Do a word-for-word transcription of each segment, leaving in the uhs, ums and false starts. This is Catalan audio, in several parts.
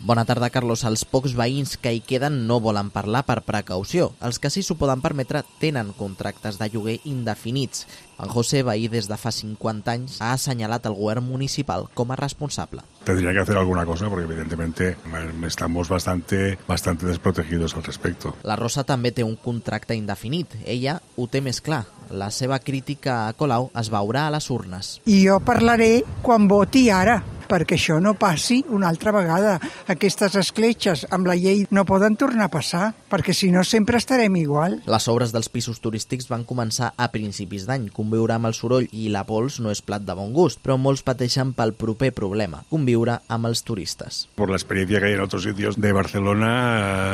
Bona tarda, Carlos. Els pocs veïns que hi queden no volen parlar per precaució. Els que sí s'ho poden permetre tenen contractes de lloguer indefinits. En José, veí des de fa cincuenta anys, ha assenyalat el govern municipal com a responsable. Tendría que hacer alguna cosa porque evidentemente estamos bastante, bastante desprotegidos al respecto. La Rosa també té un contracte indefinit. Ella ho té més clar. La seva crítica a Colau es veurà a les urnes. I jo parlaré quan voti ara, perquè això no passi una altra vegada. Aquestes escletxes amb la llei no poden tornar a passar, perquè si no sempre estarem igual. Les obres dels pisos turístics van començar a principis d'any. Conviure amb el soroll i la pols no és plat de bon gust, però molts pateixen pel proper problema, conviure amb els turistes. Por la experiencia que hay en otros sitios de Barcelona,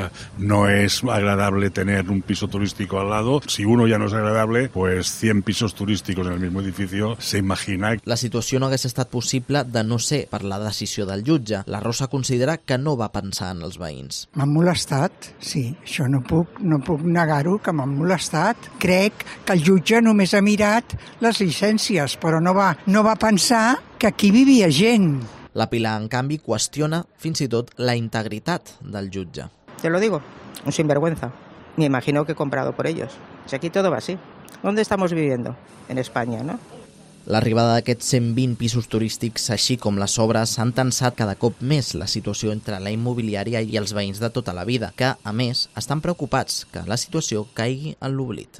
eh, no es agradable tener un piso turístico al lado. Si uno ya no es agradable, pues cien pisos turísticos en el mismo edificio, se imagina. La situació no hagués estat possible de no ser per la decisió del jutge. La Rosa considera que no va pensar en els veïns. M'han molestat, sí. Això no puc, no puc negar-ho, que m'han molestat. Crec que el jutge només ha mirat les llicències, però no va, no va pensar que aquí vivia gent. La Pilar, en canvi, qüestiona fins i tot la integritat del jutge. Te lo digo, un sinvergüenza. Me imagino que he comprado por ellos. Si aquí todo va así. ¿Dónde estamos viviendo? En España, ¿no? L'arribada d'aquests cent vint pisos turístics, així com les obres, han tensat cada cop més la situació entre la immobiliària i els veïns de tota la vida, que, a més, estan preocupats que la situació caigui en l'oblit.